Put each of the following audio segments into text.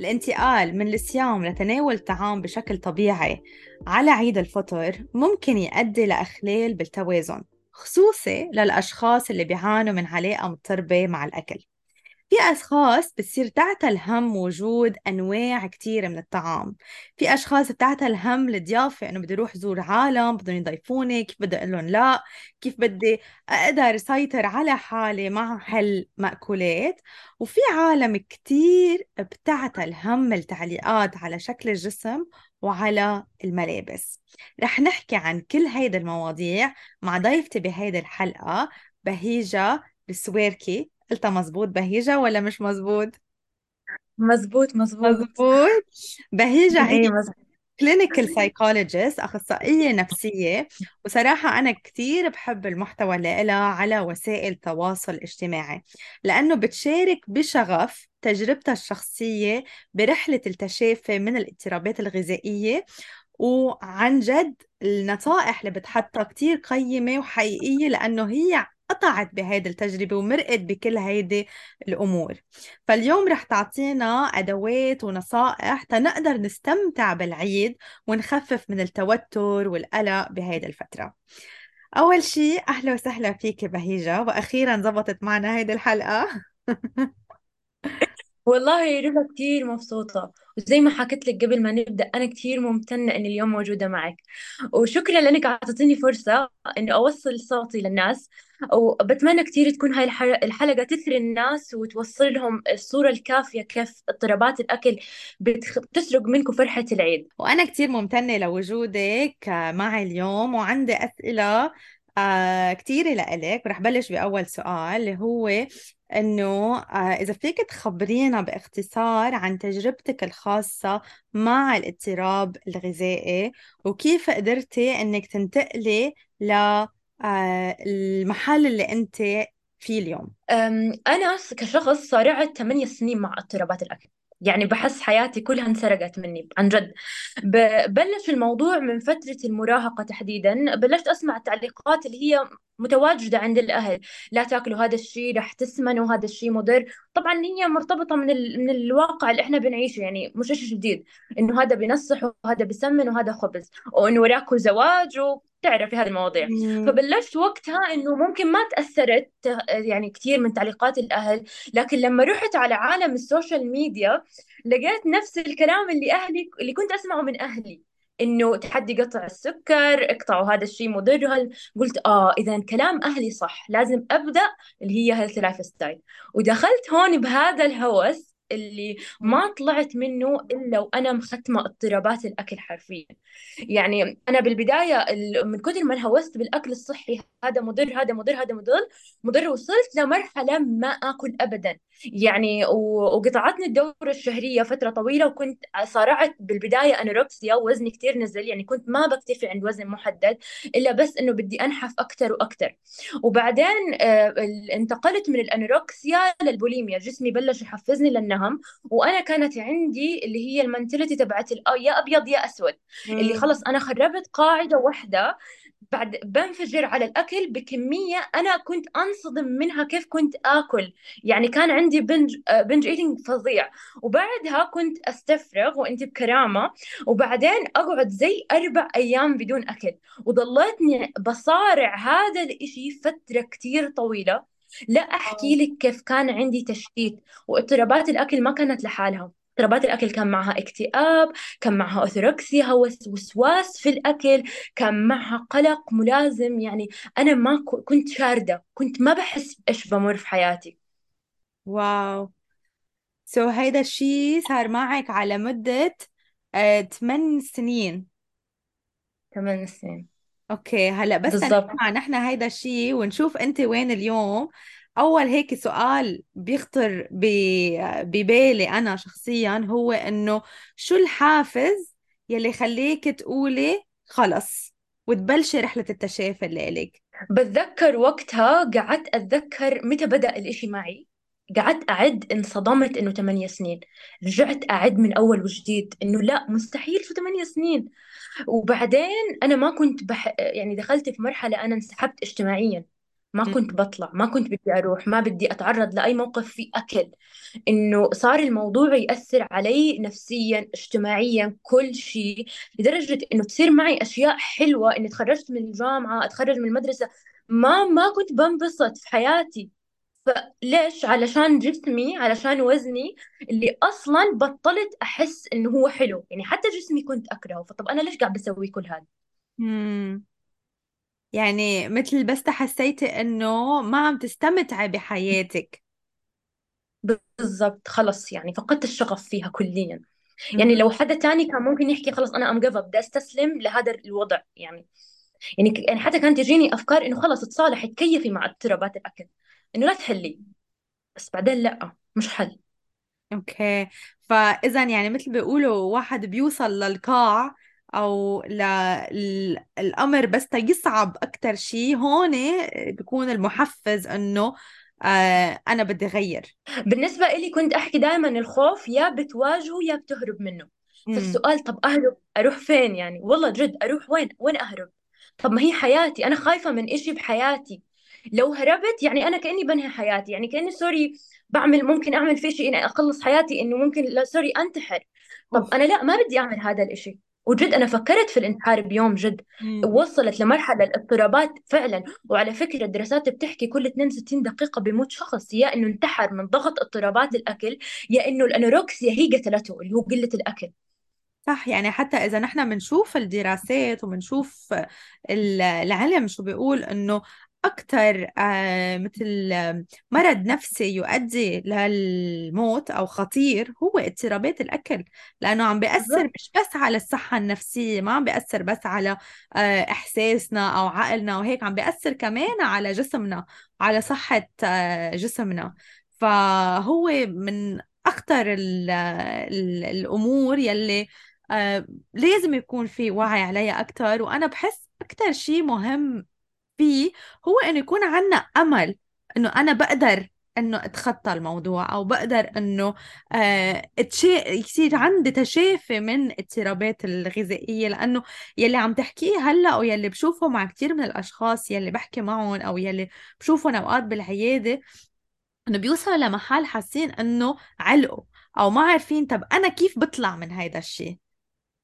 الانتقال من الصيام لتناول الطعام بشكل طبيعي على عيد الفطر ممكن يؤدي لإخلال بالتوازن، خصوصي للأشخاص اللي بيعانوا من علاقة مضطربة مع الأكل. في أشخاص بتصير تعتل هم وجود أنواع كتيرة من الطعام. في أشخاص بتعتل هم الضيافة، إنه بدي أروح زور عالم بدهم يضيفوني، كيف بدي أقول لهم لا، كيف بدي أقدر أسيطر على حالي مع هالمأكولات. وفي عالم كتير بتعتل هم التعليقات على شكل الجسم وعلى الملابس. رح نحكي عن كل هيدا المواضيع مع ضيفتي بهيدي الحلقة، بهيجة السويركي. قلتها مزبوط بهيجة ولا مش مزبوط؟ مزبوط مزبوط. مزبوط. بهيجة هي ايه مزبوط. كلينيكال سايكولوجيست، أخصائية نفسية. وصراحة أنا كتير بحب المحتوى اللي لها على وسائل التواصل الاجتماعي، لأنه بتشارك بشغف تجربتها الشخصية برحلة التشافي من الاضطرابات الغذائية. وعن جد النصائح اللي بتحطها كتير قيمة وحقيقية، لأنه هي قطعت بهيدي التجربة ومرقت بكل هيدي الأمور. فاليوم رح تعطينا أدوات ونصائح تنقدر نستمتع بالعيد ونخفف من التوتر والقلق بهيدي الفترة. أول شي أهلا وسهلا فيك بهيجة، وأخيرا زبطت معنا هيدي الحلقة. والله رضا كتير مبسوطة، وزي ما حكيت لك قبل ما نبدأ أنا كتير ممتنة إني اليوم موجودة معك. وشكرا لأنك أعطيتيني فرصة إني أوصل صوتي للناس. وبتمنى كتير تكون هاي الحلقة تثري الناس وتوصل لهم الصورة الكافية كيف اضطرابات الأكل بتسرق منكم فرحة العيد. وأنا كتير ممتنة لوجودك معي اليوم، وعندي أسئلة كتيرة لإلك. ورح بلش بأول سؤال اللي هو إنه إذا فيك تخبرينا باختصار عن تجربتك الخاصة مع الاضطراب الغذائي، وكيف قدرتي إنك تنتقلي المحل اللي أنت فيه اليوم. أنا كشخص صارعت 8 سنين مع اضطرابات الأكل. يعني بحس حياتي كلها انسرقت مني عن جد. بلش الموضوع من فترة المراهقة تحديدا. بلشت أسمع التعليقات اللي هي متواجدة عند الأهل: لا تاكلوا هذا الشيء رح تسمنوا، وهذا الشيء مضر. طبعا هي مرتبطة من الواقع اللي احنا بنعيشه، يعني مش شيء جديد انه هذا بينصح وهذا بيسمن وهذا خبز وانه وراكوا زواج وتعرفي هذه المواضيع. مم. فبلشت وقتها انه ممكن ما تاثرت يعني كثير من تعليقات الاهل. لكن لما رحت على عالم السوشيال ميديا لقيت نفس الكلام اللي اهلي اللي كنت اسمعه من اهلي، انه تحدي قطع السكر، اقطعوا هذا الشيء مضر. قلت اذا كلام اهلي صح، لازم ابدا اللي هي هيلث لايف ستايل. ودخلت هون بهذا الهوس اللي ما طلعت منه الا وانا مختمه اضطرابات الاكل حرفيا. يعني انا بالبدايه من كثر ما انهوست بالاكل الصحي، هذا مضر هذا مضر هذا مضر وصلت لمرحله ما اكل ابدا. يعني وقطعتني الدوره الشهريه فتره طويله، وكنت صارعت بالبدايه انوركسيا ووزني كثير نزل. يعني كنت ما بكتفي عند وزن محدد، الا بس انه بدي انحف اكثر واكثر. وبعدين انتقلت من الانوركسيا للبوليميا، جسمي بلش يحفزني للنهم. وانا كانت عندي اللي هي المنتاليتي تبعت يا ابيض يا اسود، اللي مم. خلص أنا خربت قاعدة واحدة بعد بنفجر على الأكل بكمية أنا كنت أنصدم منها كيف كنت آكل. يعني كان عندي بنج إيتينج فظيع. وبعدها كنت أستفرغ وأنت بكرامة، وبعدين أقعد زي 4 أيام بدون أكل. وضليتني بصارع هذا الإشي فترة كتير طويلة. لا أحكي لك كيف كان عندي تشتيت. واضطرابات الأكل ما كانت لحالها، اضطرابات الأكل كان معها اكتئاب، كان معها أوثوركسيا، هوس وسواس في الأكل، كان معها قلق ملازم. يعني أنا ما كنت شاردة، كنت ما بحس بإيش بمر في حياتي. واو. هيدا الشي صار معك على مدة 8 سنين. 8 سنين اوكي، هلا بس بالضبط. نسمع نحن هيدا الشي ونشوف انت وين اليوم. اول هيك سؤال بيخطر ببالي انا شخصيا هو انه شو الحافز يلي خليك تقولي خلص وتبلشي رحلة التشافي اللي إلك؟ بتذكر وقتها قعدت أتذكر متى بدأ الإشي معي. قعدت أعد، انصدمت إنه 8 سنين. رجعت أعد من أول وجديد إنه لا مستحيل، شو 8 سنين. وبعدين أنا ما كنت يعني دخلت في مرحلة أنا انسحبت اجتماعيا. ما كنت بطلع، ما كنت بدي أروح، ما بدي أتعرض لأي موقف فيه أكل. إنه صار الموضوع يأثر علي نفسيا اجتماعيا كل شيء، لدرجة إنه تصير معي أشياء حلوة، إني تخرجت من الجامعة، أتخرج من المدرسة، ما كنت بنبسط في حياتي. فليش؟ علشان جسمي، علشان وزني اللي أصلا بطلت أحس إنه هو حلو. يعني حتى جسمي كنت أكرهه، فطب أنا ليش قاعد بسوي كل هذا؟ مم. يعني مثل بس حسيتي انه ما عم تستمتعي بحياتك. بالضبط، خلص يعني فقدت الشغف فيها كليا. يعني مهم. لو حدا تاني كان ممكن يحكي خلص أنا أم جيف اب، بدي أستسلم لهذا الوضع يعني. يعني حتى كانت تجيني أفكار إنه خلص تصالحي، تكيفي مع اضطرابات الأكل، إنه لا تحلي. بس بعدين لا، مش حل. اوكي. فاذا يعني مثل بيقولوا واحد بيوصل للقاع او الامر بس يصعب اكتر شيء هون بيكون المحفز انه انا بدي غير. بالنسبة إلي كنت أحكي دائما الخوف يا بتواجهه يا بتهرب منه. امم. فالسؤال طب أهرب أروح فين؟ يعني والله جد أروح وين أهرب؟ طب ما هي حياتي، أنا خايفة من إشي بحياتي. لو هربت يعني أنا كأني بنهي حياتي، يعني كأني سوري بعمل، ممكن أعمل في شيء إني أخلص حياتي، إنه ممكن لا سوري أنتحر. طب اوف. أنا لا، ما بدي أعمل هذا الإشي. وجد أنا فكرت في الانتحار بيوم جد. وصلت لمرحلة الاضطرابات فعلا. وعلى فكرة الدراسات بتحكي كل 62 دقيقة بيموت شخص، يا إنه انتحر من ضغط اضطرابات الأكل، يا إنه الأنوركسيا هي قتلته، اللي هو قلة الأكل. صح. يعني حتى إذا نحن بنشوف الدراسات وبنشوف العلم شو بيقول إنه أكثر مثل مرض نفسي يؤدي للموت أو خطير هو اضطرابات الأكل، لأنه عم بيأثر بالضبط. مش بس على الصحة النفسية، ما عم بيأثر بس على إحساسنا أو عقلنا وهيك، عم بيأثر كمان على جسمنا، على صحة جسمنا. فهو من أخطر الأمور يلي لازم يكون في وعي عليها أكتر. وأنا بحس أكتر شيء مهم فيه هو إنه يكون عنا أمل إنه أنا بقدر إنه أتخطى الموضوع، أو بقدر إنه يصير عندي تشافي من اضطرابات الغذائية. لأنه يلي عم تحكيه هلأ أو يلي بشوفه مع كتير من الأشخاص يلي بحكي معهم أو يلي بشوفهم أوقات بالعيادة، إنه بيوصلوا لمحل حاسين إنه علقوا أو ما عارفين طب أنا كيف بطلع من هيدا الشيء.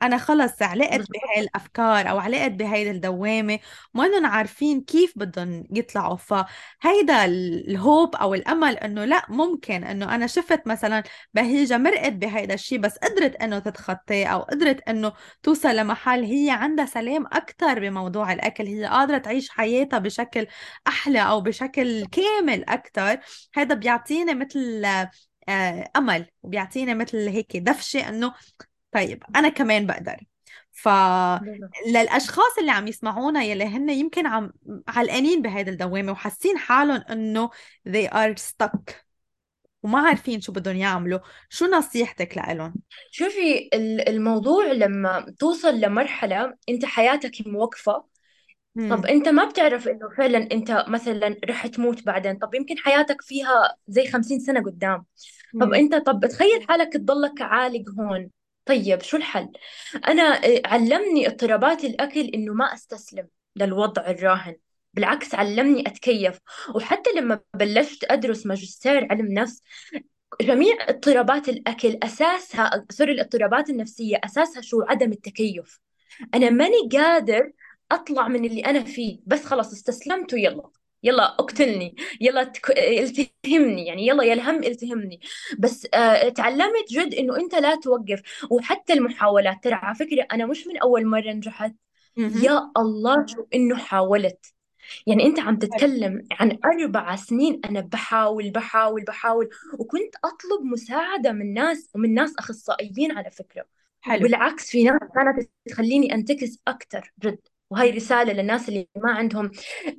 انا خلص علقت بالضبط. بهاي الافكار او علقت بهاي الدوامه، ما انهم عارفين كيف بدهم يطلعوا. فهيدا الهوب او الامل انه لا، ممكن انه انا شفت مثلا بهيجه مرقت بهيدا الشيء بس قدرت انه تتخطاه، او قدرت انه توصل لمحل هي عندها سلام اكثر بموضوع الاكل، هي قادره تعيش حياتها بشكل احلى او بشكل كامل اكثر. هذا بيعطيني مثل امل، وبيعطيني مثل هيك دفشه انه طيب أنا كمان بقدر. بالضبط. فللأشخاص اللي عم يسمعونا يلي هن يمكن عم علقانين بهيدا الدوامة وحاسين حالهم إنه they are stuck وما عارفين شو بدهم يعملوا، شو نصيحتك لإلهم؟ شوفي الموضوع لما توصل لمرحلة أنت حياتك موقفة. طب امم. أنت ما بتعرف إنه فعلا أنت مثلا رح تموت بعدين، طب يمكن حياتك فيها زي 50 سنة قدام. طب امم. أنت، طب تخيل حالك تضلك عالق هون. طيب شو الحل؟ أنا علمني اضطرابات الأكل إنه ما أستسلم للوضع الراهن. بالعكس علمني أتكيف. وحتى لما بلشت أدرس ماجستير علم نفس، جميع اضطرابات الأكل أساسها، سوري، الاضطرابات النفسية أساسها شو؟ عدم التكيف. أنا ماني قادر أطلع من اللي أنا فيه، بس خلاص استسلمت ويلا، يلا اقتلني، يلا التهمني، يعني يلا يا الهم التهمني. بس تعلمت جد إنه أنت لا توقف. وحتى المحاولات، ترى على فكرة أنا مش من أول مرة نجحت. امم. يا الله شو إنه حاولت. يعني أنت عم تتكلم عن 4 سنين أنا بحاول. وكنت أطلب مساعدة من ناس، ومن ناس أخصائيين على فكرة. حلو. وبالعكس في ناس كانت تخليني أنتكس أكتر جد. وهي رسالة للناس اللي ما عندهم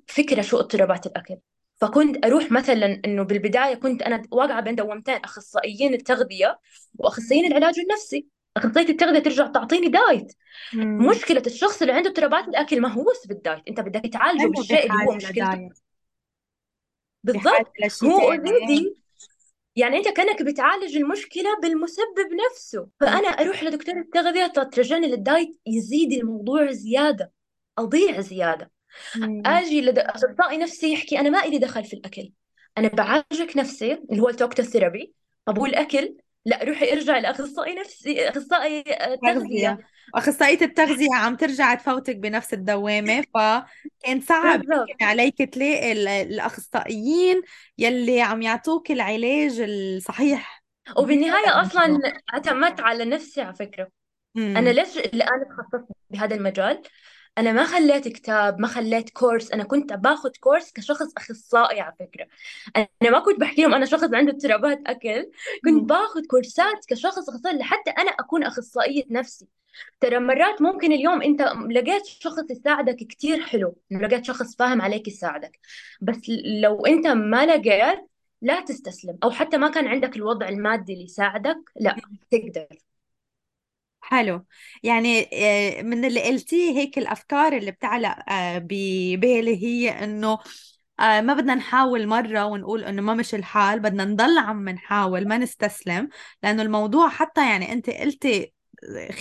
فكرة شو اضطرابات الأكل. فكنت أروح مثلا، إنه بالبداية كنت أنا واقعة بين دوامتين: أخصائيين التغذية وأخصائيين العلاج النفسي. أخصائية التغذية ترجع تعطيني دايت. امم. مشكلة الشخص اللي عنده اضطرابات الأكل ما هو بس بالدايت، أنت بدك تعالجه هلا بالشيء اللي هو بحاجة مشكلته. لدايت، بحاجة بالضبط. لشي هو تاني. اوريدي، يعني أنت كأنك بتعالج المشكلة بالمسبب نفسه. مم. فأنا أروح لدكتور التغذية ترجعني للدايت، يزيد الموضوع زيادة، أضيع زيادة. مم. اجي لاخصائي نفسي يحكي انا ما إلي دخل في الاكل، انا بعالجك نفسي اللي هو التوكتو ثيرابي. طب والاكل؟ لا، روحي ارجعي لاخصائي نفسي، اخصائي تغذيه. تغذية. أخصائية التغذية عم ترجع تفوتك بنفس الدوامة، فكان صعب بالضبط. يمكن عليك تلاقي الأخصائيين يلي عم يعطوك العلاج الصحيح بهذا وبالنهايه اصلا الموضوع. اعتمدت على نفسي على فكره. انا امم. ليش الان تخصصت بهذا المجال؟ انا ما خليت كتاب، ما خليت كورس، انا كنت باخذ كورس كشخص اخصائي على فكره. انا ما كنت بحكي لهم انا شخص عنده اضطرابات اكل، كنت باخذ كورسات كشخص اخصائي لحتى انا اكون اخصائيه نفسي. ترى مرات ممكن اليوم انت لقيت شخص يساعدك كتير حلو، إنه لقيت شخص فاهم عليك يساعدك، بس لو انت ما لقيت، لا تستسلم، او حتى ما كان عندك الوضع المادي اللي يساعدك، لا تقدر. حلو. يعني من اللي قلتيه هيك الأفكار اللي بتعلق ببالي هي إنه ما بدنا نحاول مرة ونقول إنه ما مش الحال، بدنا نضل عم نحاول ما نستسلم. لأنه الموضوع حتى يعني أنت قلتي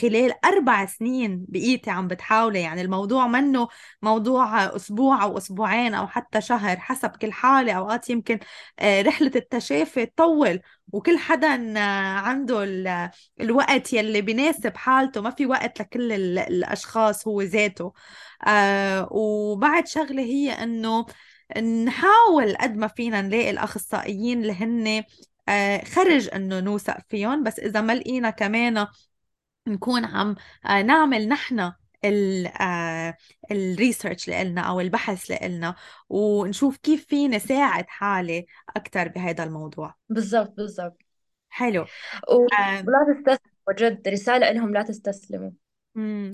خلال 4 سنين بقيتي عم بتحاولي، يعني الموضوع منه موضوع أسبوع أو أسبوعين أو حتى شهر حسب كل حالة. أوقات يمكن رحلة التشافي تطول، وكل حدا عنده الوقت يلي بيناسب حالته، ما في وقت لكل الأشخاص هو ذاته. وبعد شغلة هي إنه نحاول قد ما فينا نلاقي الأخصائيين اللي هن خرج إنه نوثق فيهم، بس إذا ما لقينا كمان نكون عم نعمل نحن الريسيرش اللي قلنا أو البحث اللي قلنا، ونشوف كيف فينا ساعد حالي أكثر بهذا الموضوع. بالضبط بالضبط. حلو. آه، ولا تستسلموا، جد رسالة لهم لا تستسلموا.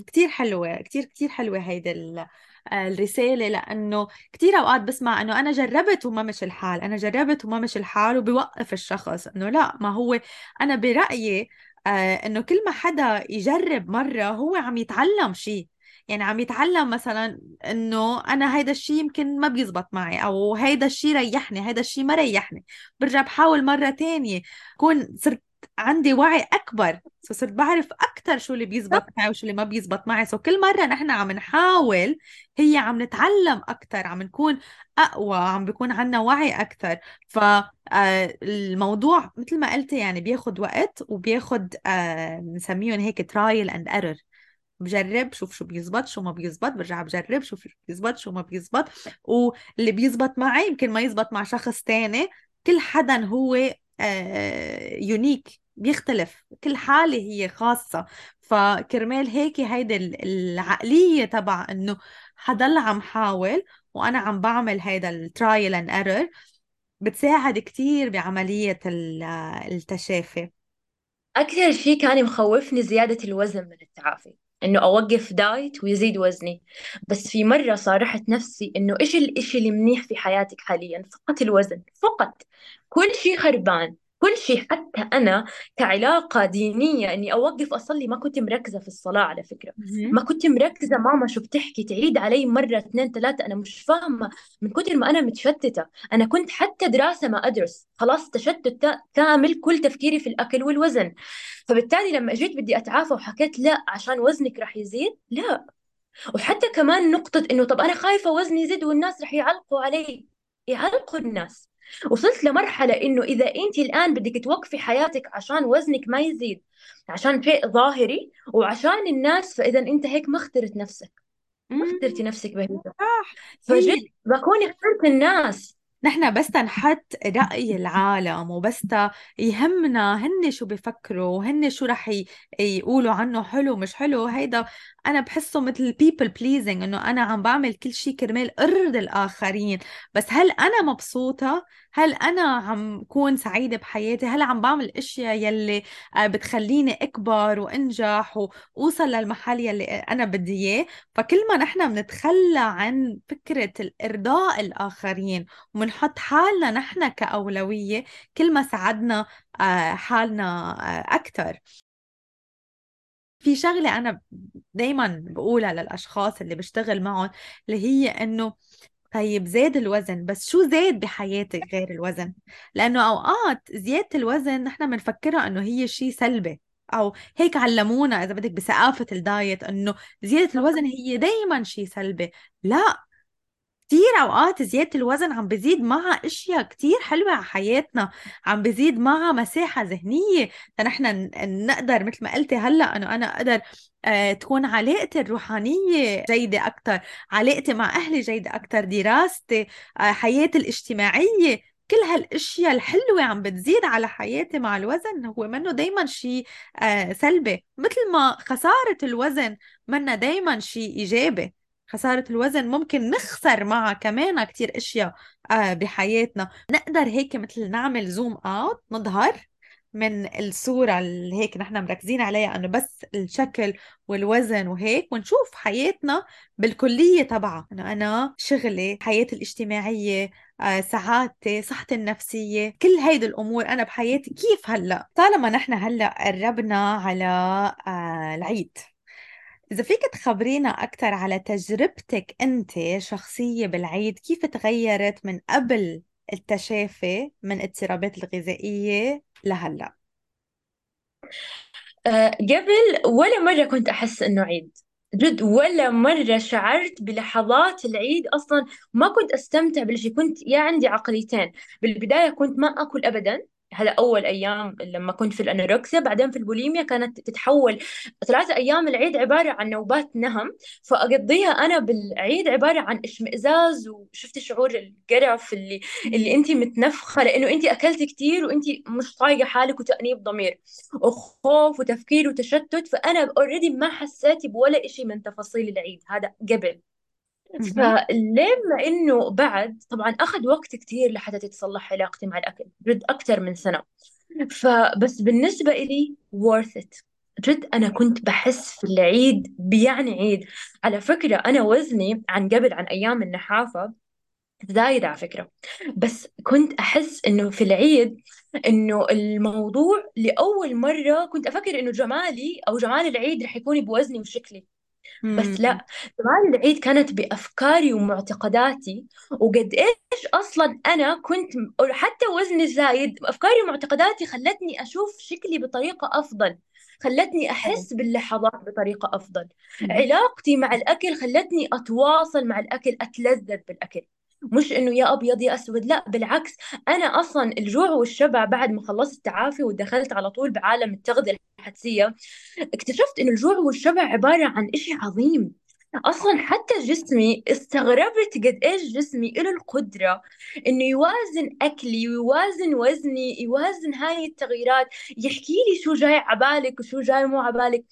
كتير حلوة، كتير كتير حلوة هيدا الرسالة. لأنه كتير أوقات بسمع أنه أنا جربت وما مش الحال، أنا جربت وما مش الحال، وبيوقف الشخص أنه لا، ما هو أنا برأيي أنه كل ما حدا يجرب مرة هو عم يتعلم شيء. يعني عم يتعلم مثلا انه انا هيدا الشيء يمكن ما بيزبط معي، او هيدا الشيء ريحني، هيدا الشيء ما ريحني، برجع بحاول مرة تانية. كون صرت عندي وعي اكبر، صرت بعرف اكثر شو اللي بيزبط معي وشو اللي ما بيزبط معي. كل مرة نحن عم نحاول هي عم نتعلم اكثر، عم نكون اقوى، عم بيكون عنا وعي اكثر. فالموضوع مثل ما قلت يعني بياخد وقت، وبياخد بنسميهم هيك ترايل اند ايرور. بجرب شوف شو بيزبط شو ما بيزبط، برجع بجرب شوف شو بيزبط شو ما بيزبط. واللي بيزبط معي يمكن ما يزبط مع شخص تاني. كل حدا هو يونيك، بيختلف، كل حالة هي خاصة. فكرمال هيك هيدي العقلية تبع انه حضل عم حاول وانا عم بعمل هيدا الترايل اند ايرور بتساعد كتير بعملية التشافي. أكثر شيء كان مخوفني زيادة الوزن من التعافي، إنه أوقف دايت ويزيد وزني. بس في مرة صارحت نفسي إنه إيش الإشي اللي منيح في حياتك حاليا؟ فقط الوزن فقط. كل شيء خربان، كل شيء. حتى أنا كعلاقة دينية إني أوقف أصلي، ما كنت مركزة في الصلاة على فكرة. مهم. ما كنت مركزة ماما شو بتحكي، تعيد علي مرة اثنين ثلاثة، أنا مش فاهمة من كتر ما أنا متشتتة. أنا كنت حتى دراسة ما أدرس، خلاص تشتت كامل، كل تفكيري في الأكل والوزن. فبالتالي لما جيت بدي أتعافى وحكيت لا عشان وزنك رح يزيد، لا. وحتى كمان نقطة إنه طب أنا خايفة وزني يزيد والناس رح يعلقوا علي. يعلقوا الناس؟ وصلت لمرحلة إنه إذا أنت الآن بدك توقفي حياتك عشان وزنك ما يزيد، عشان شيء ظاهري وعشان الناس، فإذا أنت هيك ما اخترت نفسك، ما اخترتي مم. نفسك بهذا. صح. فجد هي بكون اخترت الناس. نحن بس نحط رأي العالم، وبس يهمنا هن شو بيفكروا، هن شو رح يقولوا عنه حلو مش حلو. هيدا أنا بحسه مثل people pleasing، إنه أنا عم بعمل كل شيء كرمال أرضي الآخرين. بس هل أنا مبسوطة؟ هل أنا عم كون سعيدة بحياتي؟ هل عم بعمل أشياء يلي بتخليني أكبر وأنجح وأوصل للمحل يلي أنا بدي إياه؟ فكل ما نحن بنتخلى عن فكرة الإرضاء الآخرين ومنحط حالنا نحن كأولوية، كل ما ساعدنا حالنا أكثر. في شغلة أنا دايما بقولها للأشخاص اللي بشتغل معهم، اللي هي إنه طيب زاد الوزن، بس شو زاد بحياتك غير الوزن؟ لأنه أوقات زيادة الوزن نحن بنفكرها إنه هي شيء سلبي، أو هيك علمونا إذا بدك بثقافة الدايت إنه زيادة الوزن هي دايما شيء سلبي. لا، كتير أوقات زيادة الوزن عم بزيد معها أشياء كتير حلوة على حياتنا، عم بزيد معها مساحة ذهنية فنحن نقدر مثل ما قلتي هلأ أنه أنا أقدر تكون علاقتي الروحانية جيدة أكتر، علاقتي مع أهلي جيدة أكتر، دراستي، حياتي الاجتماعية، كل هالاشياء الحلوة عم بتزيد على حياتي مع الوزن. هو منه دايما شيء سلبي، مثل ما خسارة الوزن منه دايما شيء إيجابي. خسارة الوزن ممكن نخسر معها كمان كتير اشياء بحياتنا. نقدر هيك مثل نعمل زوم اوت، نظهر من الصورة اللي هيك نحن مركزين عليها انه بس الشكل والوزن وهيك، ونشوف حياتنا بالكلية تبعها، انه انا شغلي، حياتي الاجتماعية، سعادتي، صحتي النفسية، كل هيدي الامور انا بحياتي كيف هلا. طالما نحن هلا قربنا على العيد، إذا فيك تخبرينا أكثر على تجربتك أنت شخصية بالعيد، كيف تغيرت من قبل التشافي من اضطرابات الغذائية لهلأ؟ قبل ولا مرة كنت أحس إنه عيد، جد ولا مرة شعرت بلحظات العيد أصلا. ما كنت أستمتع بالشيء. كنت يا عندي عقليتين. بالبداية كنت ما أكل أبدا. هذا أول أيام لما كنت في الأنوركسيا. بعدين في البوليميا كانت تتحول 3 أيام العيد عبارة عن نوبات نهم، فأقضيها أنا بالعيد عبارة عن اشمئزاز، وشفت شعور القرف اللي مم. أنت متنفخة لأنه أنت أكلت كتير وأنت مش طايقة حالك، وتأنيب ضمير وخوف وتفكير وتشتت. فأنا اوريدي ما حسيت بولا إشي من تفاصيل العيد هذا قبل. مهم. فلما إنه بعد طبعا أخذ وقت كتير لحتى تتصلح علاقتي مع الأكل، جد أكثر من سنة. فبس بالنسبة إلي worth it. جد أنا كنت بحس في العيد بيعني عيد. على فكرة أنا وزني عن قبل، عن أيام النحافة، زايد على فكرة. بس كنت أحس إنه في العيد إنه الموضوع لأول مرة كنت أفكر إنه جمالي أو جمال العيد رح يكون بوزني وشكلي. بس مم. لا، جمال العيد كانت بأفكاري ومعتقداتي. وقد إيش أصلا أنا كنت حتى وزني زايد، أفكاري ومعتقداتي خلتني أشوف شكلي بطريقة أفضل، خلتني حلو. أحس باللحظات بطريقة أفضل. مهم. علاقتي مع الأكل خلتني أتواصل مع الأكل، أتلذذ بالأكل. مش إنه يا أبيض يا أسود، لا بالعكس. أنا أصلا الجوع والشبع بعد ما خلصت التعافي ودخلت على طول بعالم التغذية الحدسية، اكتشفت إن الجوع والشبع عبارة عن إشي عظيم. أصلا حتى جسمي استغربت قد إيش جسمي له القدرة إنه يوازن أكلي ويوازن وزني، يوازن هاي التغييرات، يحكي لي شو جاي عبالك وشو جاي مو عبالك.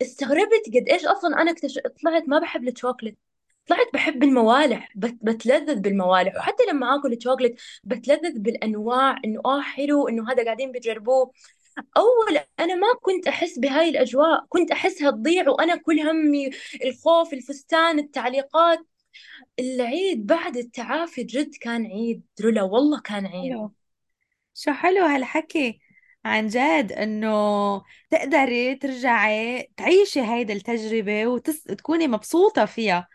استغربت قد إيش أصلا أنا طلعت ما بحب الشوكولات. طلعت بحب الموالح، بتلذذ بالموالح. وحتى لما آكل شوكولات بتلذذ بالأنواع، إنه حلو، إنه هذا قاعدين بيجربوه. أول أنا ما كنت أحس بهاي الأجواء، كنت أحسها تضيع وأنا كل همي الخوف، الفستان، التعليقات. العيد بعد التعافي جد كان عيد رولا، والله كان عيد. حلو. شو حلو هالحكي، عن جد انه تقدري ترجعي تعيشي هيدا التجربة وتكوني مبسوطة فيها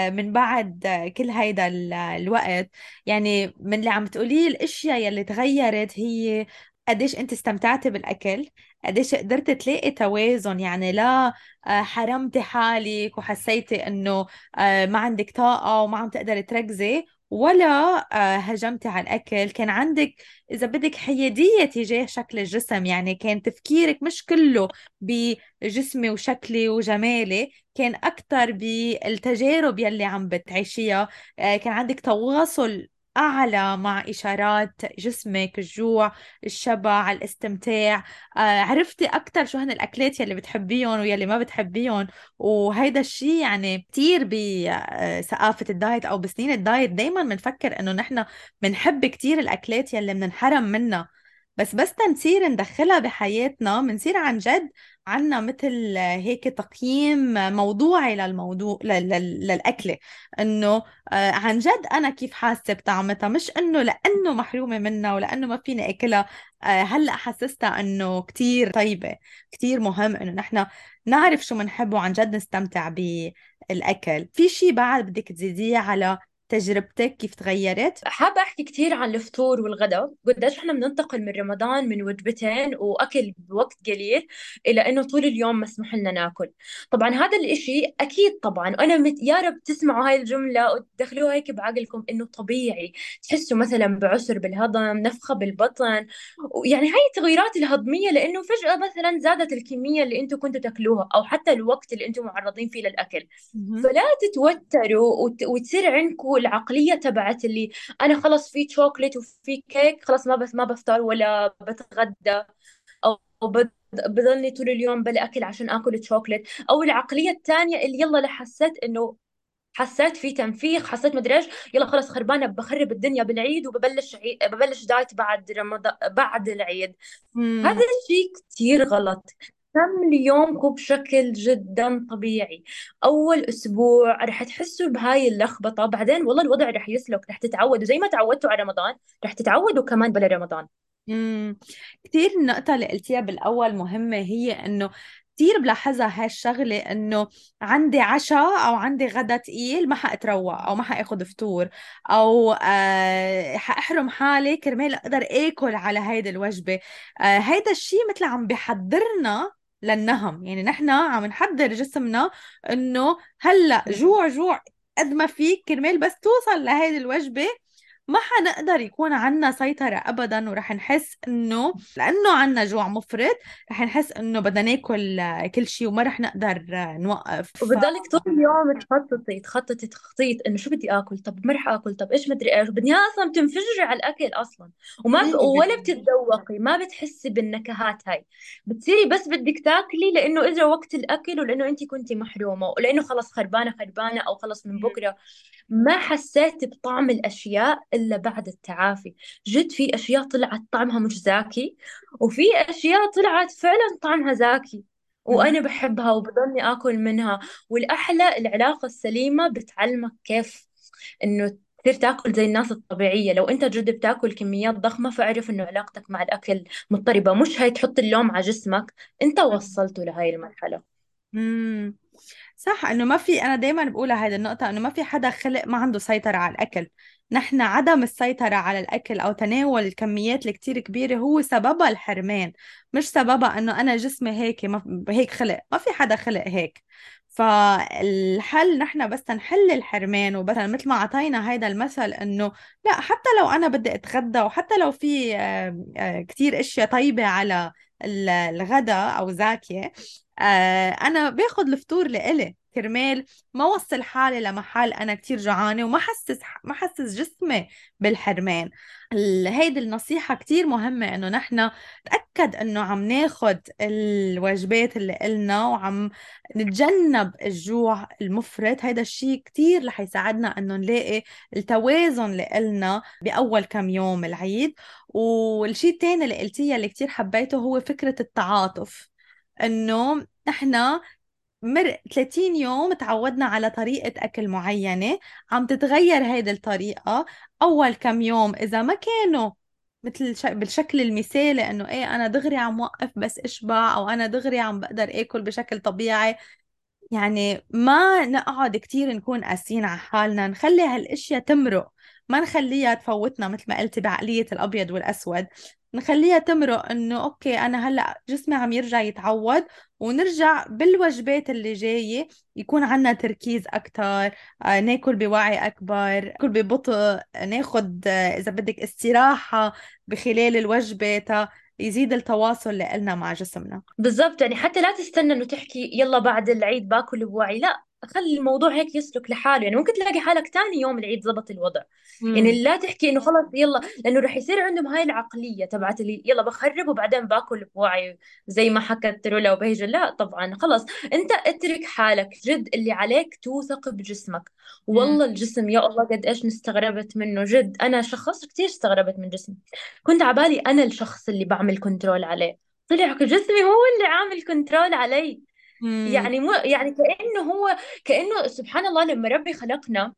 من بعد كل هيدا الوقت. يعني من اللي عم تقوليه الاشياء يلي تغيرت هي قديش انت استمتعتي بالاكل، قديش قدرت تلاقي توازن، يعني لا حرمتي حالك وحسيتي انه ما عندك طاقة وما عم تقدري تركزي، ولا هجمتي على الاكل. كان عندك اذا بدك حيادية تجاه شكل الجسم، يعني كان تفكيرك مش كله بجسمي وشكلي وجمالي، كان أكتر بالتجارب يلي عم بتعيشيها. كان عندك تواصل أعلى مع إشارات جسمك، الجوع، الشبع، الاستمتاع. عرفتي أكتر شو هن الأكلات يلي بتحبيهم ويلي ما بتحبيهم. وهيدا الشيء يعني كتير بثقافة الدايت أو بسنين الدايت دايما بنفكر إنه نحن بنحب كتير الأكلات يلي بننحرم منها، بس تنصير ندخلها بحياتنا بنصير عن جد عنا مثل هيك تقييم موضوعي للموضوع للأكلة، إنه عن جد أنا كيف حاسة بطعمتها، مش إنه لأنه محرومة منها ولأنه ما فيني أكلها هلأ حسستها إنه كتير طيبة. كتير مهم إنه نحن نعرف شو منحب وعن جد نستمتع بالأكل. في شي بعد بدك تزيديه على تجربتك كيف تغيرت؟ حابة أحكي كثير عن الفطور والغداء، قديش إحنا بننتقل من رمضان من وجبتين وأكل بوقت قليل إلى إنه طول اليوم مسموح لنا ناكل. طبعا هذا الإشي أكيد طبعا أنا يا رب تسمعوا هاي الجملة وتدخلوها هيك بعقلكم إنه طبيعي تحسوا مثلا بعسر بالهضم، نفخة بالبطن، يعني هاي التغيرات الهضمية لأنه فجأة مثلا زادت الكمية اللي أنتم كنتوا تاكلوها أو حتى الوقت اللي أنتم معرضين فيه للأكل. مهم. فلا تتوتروا وتصير عندكم العقلية تبعت اللي انا خلص في شوكليت وفي كيك خلص ما بفطر ولا بتغدى، او بضلني طول اليوم بلا اكل عشان اكل شوكليت. او العقليه الثانيه اللي يلا لحسيت انه حسيت في تنفيخ، حسيت مدري ايش، يلا خلص خربانه بخرب الدنيا بالعيد ببلش دايت بعد رمضان بعد العيد. هذا مم. الشيء كثير غلط. كملي يومكم بشكل جدا طبيعي. أول أسبوع رح تحسوا بهاي اللخبطة، بعدين والله الوضع رح يسلك، رح تتعودوا زي ما تعودتوا على رمضان رح تتعودوا كمان بلا رمضان. مم. كتير النقطة اللي قلتيها بالأول مهمة، هي إنه كتير بلاحظها هالشغلة، إنه عندي عشاء أو عندي غدا تقيل ما حأتروق أو ما حأخذ فطور، أو حأحرم حالي كرمال أقدر آكل على هيدي الوجبة. هيدا الشيء مثل عم بحضرنا للنهم، يعني نحن عم نحضر جسمنا إنه هلأ جوع جوع قد ما فيك كرمال بس توصل لهيدي الوجبة. ما حنقدر يكون عنا سيطرة أبدا، ورح نحس إنه لأنه عنا جوع مفرط رح نحس إنه بدنا ناكل كل شيء وما رح نقدر نوقف. وبتضلك طول اليوم تخططي تخطيط انه شو بدي اكل، طب ما رح اكل، طب ايش مدري ايش، بدنيا اصلا بتنفجري على الاكل اصلا. ولا 100%. بتتذوقي، ما بتحسي بالنكهات هاي. بتصيري بس بدك تاكلي لانه اجى وقت الاكل ولانه انت كنتي محرومه ولانه خلص خربانه او خلص من بكره. ما حسيت بطعم الاشياء الا بعد التعافي. جد في اشياء طلعت طعمها مش زاكي، وفي اشياء طلعت فعلا طعمها زاكي مهم. وأنا بحبها وبضلني آكل منها. والأحلى العلاقة السليمة بتعلمك كيف إنه تصير تاكل زي الناس الطبيعية. لو أنت جد بتاكل كميات ضخمة فاعرف إنه علاقتك مع الأكل مضطربة، مش هي تحط اللوم على جسمك، أنت وصلته لهاي المرحلة. مم. صح، انه ما في، انا دايما بقولها هذه النقطة، انه ما في حدا خلق ما عنده سيطرة على الاكل. نحن عدم السيطرة على الاكل او تناول الكميات الكتير كبيرة هو سببها الحرمان، مش سببها انه انا جسمي هيك، ما هيك خلق، ما في حدا خلق هيك. فالحل نحن بس نحل الحرمان، وبس مثل ما اعطينا هيدا المثل انه لا، حتى لو انا بدي اتغدى وحتى لو في كتير اشياء طيبة على الغداء او زاكية، انا باخد الفطور لإلي كرمال ما وصل حالي لمحل انا كتير جوعانه وما حسس جسمي بالحرمان. هيدي النصيحة كتير مهمة، انه نحن نتأكد انه عم ناخد الوجبات اللي إلنا وعم نتجنب الجوع المفرط. هيدا الشيء كتير رح يساعدنا انه نلاقي التوازن اللي إلنا بأول كم يوم العيد. والشيء التاني اللي قلتيه اللي كتير حبيته هو فكرة التعاطف، انه احنا 30 يوم تعودنا على طريقة أكل معينة، عم تتغير هيدي الطريقة. أول كم يوم إذا ما كانوا مثل بالشكل المثالي، إنه إيه أنا دغري عم وقف بس إشبع، أو أنا دغري عم بقدر آكل بشكل طبيعي، يعني ما نقعد كتير نكون قاسيين على حالنا، نخلي هالاشياء تمرق، ما نخليها تفوتنا مثل ما قلتي بعقلية الأبيض والأسود. نخليها تمرق، إنه أوكي أنا هلأ جسمي عم يرجع يتعود، ونرجع بالوجبات اللي جاية يكون عنا تركيز أكتر، ناكل بوعي أكبر، ناكل ببطء، ناخد إذا بدك استراحة بخلال الوجبة تا يزيد التواصل اللي قلنا مع جسمنا. بالضبط، يعني حتى لا تستنى انه تحكي يلا بعد العيد باكل بوعي، لا خلي الموضوع هيك يسلك لحاله. يعني ممكن تلاقي حالك تاني يوم العيد زبط الوضع. امم. يعني لا تحكي انه خلص يلا، لانه رح يصير عندهم هاي العقلية تبعت اللي يلا بخرب وبعدين باكل بوعي زي ما حكت رولا وبهجة. لا طبعا خلص، انت اترك حالك، جد اللي عليك توثق بجسمك. والله الجسم يا الله قد ايش استغربت منه، جد انا شخص كثير استغربت من جسمي. كنت عبالي انا الشخص اللي بعمل كنترول عليه، طلع جسمي هو اللي عامل كنترول علي. امم. يعني مو يعني كأنه سبحان الله لما ربي خلقنا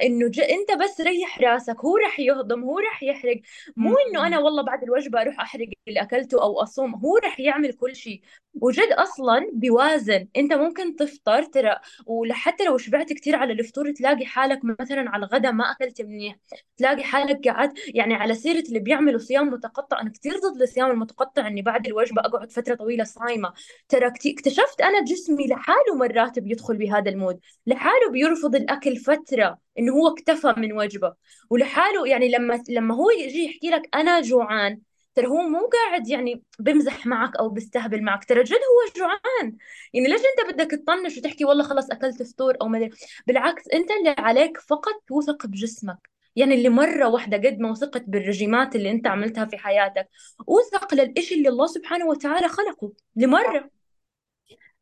انه انت بس ريح راسك، هو رح يهضم، هو رح يحرق. مو انه انا والله بعد الوجبة اروح احرق اللي اكلته او اصوم، هو رح يعمل كل شيء. وجد اصلا بيوازن. انت ممكن تفطر ترى، وحتى لو شبعت كثير على الفطور تلاقي حالك مثلا على الغداء ما اكلت منيح، تلاقي حالك قاعد. يعني على سيرة اللي بيعملوا صيام متقطع، انا كثير ضد الصيام المتقطع، اني بعد الوجبة اقعد فترة طويلة صايمة. ترى اكتشفت انا جسمي لحاله مرات بيدخل بهذا المود، لحاله بيرفض الاكل فتره انه هو اكتفى من وجبه، ولحاله يعني لما هو يجي يحكي لك انا جوعان، ترى هو مو قاعد يعني بمزح معك او بيستهبل معك، ترى جد هو جوعان. يعني ليش انت بدك تطنش وتحكي والله خلص اكلت فطور او ما أدري؟ بالعكس، انت اللي عليك فقط توثق بجسمك. يعني اللي مرة واحدة قد ما وثقت بالرجيمات اللي انت عملتها في حياتك، اوثق للإشي اللي الله سبحانه وتعالى خلقه لمرة.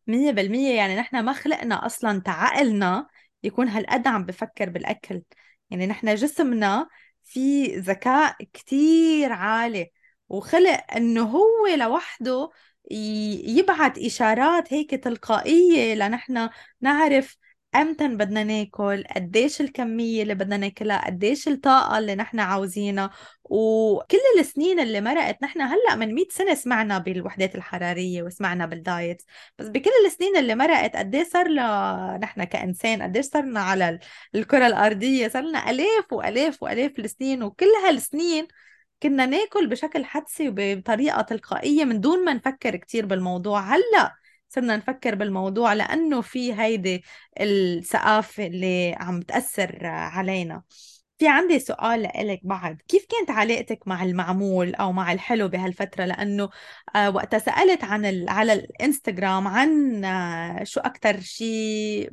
100%. يعني نحن ما خلقنا أصلا تعقلنا يكون هالقد عم بفكر بالأكل. يعني نحن جسمنا في ذكاء كتير عالي، وخلق إنه هو لوحده يبعت إشارات هيك تلقائية لنحن نعرف أمتى بدنا ناكل، قديش الكمية اللي بدنا ناكلها، قديش الطاقة اللي نحن عاوزينها. وكل السنين اللي مرقت، نحن هلأ من 100 سنة سمعنا بالوحدات الحرارية وسمعنا بالدايت، بس بكل السنين اللي مرقت قد ايه صار لنا نحن كإنسان، قد ايه صرنا على الكرة الأرضية، صار لنا آلاف وآلاف وآلاف السنين. وكل هالسنين كنا ناكل بشكل حدسي وبطريقة تلقائية من دون ما نفكر كتير بالموضوع. هلأ صرنا نفكر بالموضوع لأنه في هيدي الثقافة اللي عم تأثر علينا. في عندي سؤال لإلك بعد، كيف كانت علاقتك مع المعمول أو مع الحلو بهالفترة؟ لأنه وقتها سألت على الانستغرام عن شو أكتر شيء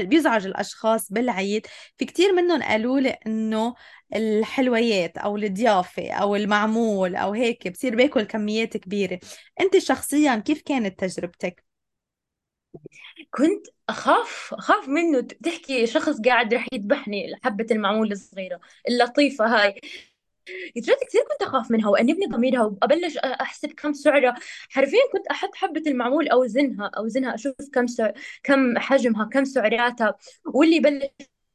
بيزعج الأشخاص بالعيد، في كتير منهم قالوا لي إنه الحلويات أو الضيافة أو المعمول أو هيك بصير باكل كميات كبيرة. أنت شخصيا كيف كانت تجربتك؟ كنت أخاف منه، تحكي شخص قاعد رح يذبحني، حبة المعمول الصغيرة اللطيفة هاي. جد كثير كنت أخاف منها وأنبني ضميرها وأبلش أحسب كم سعرها. حرفيا كنت أحط حبة المعمول أوزنها أشوف كم حجمها، كم سعراتها. واللي يبلش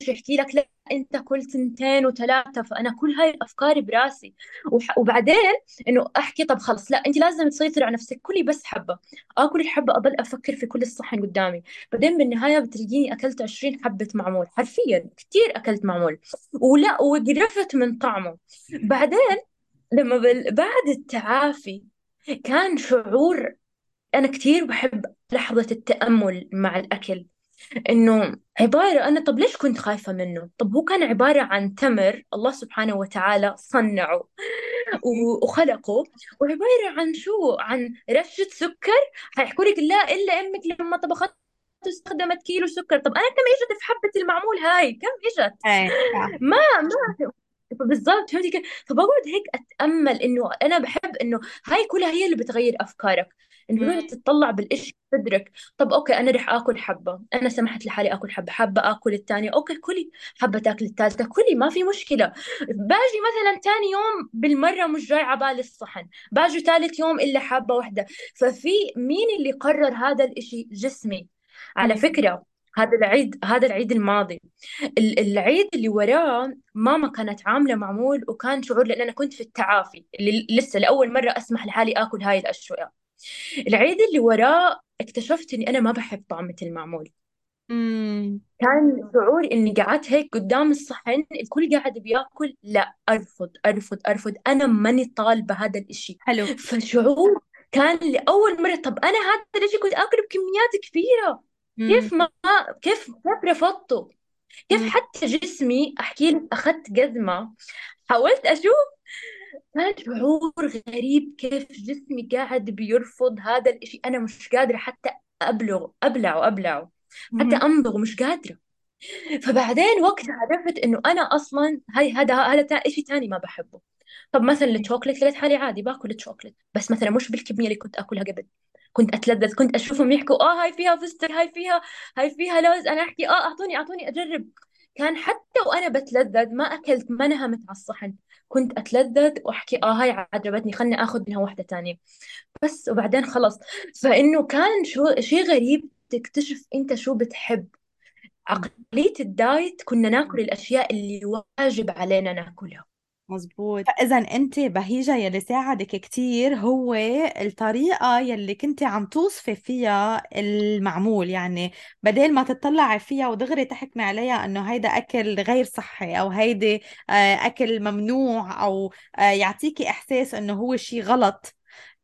يحكي لك لا أنت كل تنتين وثلاثة، فأنا كل هاي الأفكار براسي. وبعدين إنه أحكي طب خلص لا أنت لازم تسيطري على نفسك، كلي بس حبة. آكل الحبة أضل أفكر في كل الصحن قدامي، بعدين بالنهاية بتلاقيني أكلت 20 حبة معمول، حرفيا كثير أكلت معمول. ولا وقرفت من طعمه. بعدين لما بعد التعافي كان شعور. أنا كثير بحب لحظة التأمل مع الأكل، إنه عبارة أنا طب ليش كنت خايفة منه؟ طب هو كان عبارة عن تمر الله سبحانه وتعالى صنعه وخلقه، وعبارة عن شو؟ عن رشة سكر. حيحكوا لك لا إلا أمك لما طبخت استخدمت كيلو سكر. طب أنا كم إجت في حبة المعمول هاي؟ كم إجت؟ ايه. ما بالضبط، فهمتي كيف؟ فبقعد هيك اتامل انه انا بحب انه هاي كلها هي اللي بتغير افكارك، انه بتقعد تطلع بالإشي تدرك. طب اوكي انا رح اكل حبه، انا سمحت لحالي اكل حبه، حابه اكل الثانيه اوكي كلي، حابه تاكل الثالثه كلي، ما في مشكله. باجي مثلا ثاني يوم بالمره مش جاي على بالي الصحن، باجي ثالث يوم الا حابه واحده. ففي مين اللي قرر هذا الإشي؟ جسمي. على مم. فكره هذا العيد الماضي، العيد اللي وراه ماما كانت عاملة معمول، وكان شعور لأن أنا كنت في التعافي اللي لسه لأول مرة أسمح لحالي آكل هاي الأشياء. العيد اللي وراه اكتشفت إني أنا ما بحب طعمة المعمول. مم. كان شعور إني قعدت هيك قدام الصحن الكل قاعد بياكل، لا أرفض أرفض أرفض، أنا ماني طالبة هذا الإشي. حلو. فشعور كان لأول مرة طب أنا هذا الإشي كنت آكله بكميات كبيرة، مم. كيف ما كيف رفضته؟ كيف مم. حتى جسمي احكي لك اخذت جزمه، حاولت اشوف، كان شعور غريب كيف جسمي قاعد بيرفض هذا الاشي. انا مش قادره حتى ابلعه، حتى مم. امضغه مش قادره. فبعدين وقت عرفت انه انا اصلا هذا اشي تاني ما بحبه. طب مثلا الشوكليت لقيت حالي عادي باكل الشوكليت، بس مثلا مش بالكميه اللي كنت اكلها قبل. كنت اتلذذ، كنت اشوفهم يحكوا هاي فيها فستق، هاي فيها لوز، انا احكي اعطوني اجرب. كان حتى وانا بتلذذ ما اكلت، ما نهمت على الصحن. كنت أتلذذ وأحكي هاي عجبتني، خلني أخذ منها واحدة تانية بس، وبعدين خلص. فإنه كان شو شيء غريب تكتشف أنت شو بتحب. عقلية الدايت كنا ناكل الأشياء اللي واجب علينا ناكلها. مزبوط. فإذا أنت بهيجة يلي ساعدك كتير هو الطريقة يلي كنت عم توصفي فيها المعمول، يعني بدل ما تطلعي فيها ودغري تحكمي عليها إنه هيدا أكل غير صحي أو هيدي أكل ممنوع، أو يعطيكي إحساس إنه هو شي غلط،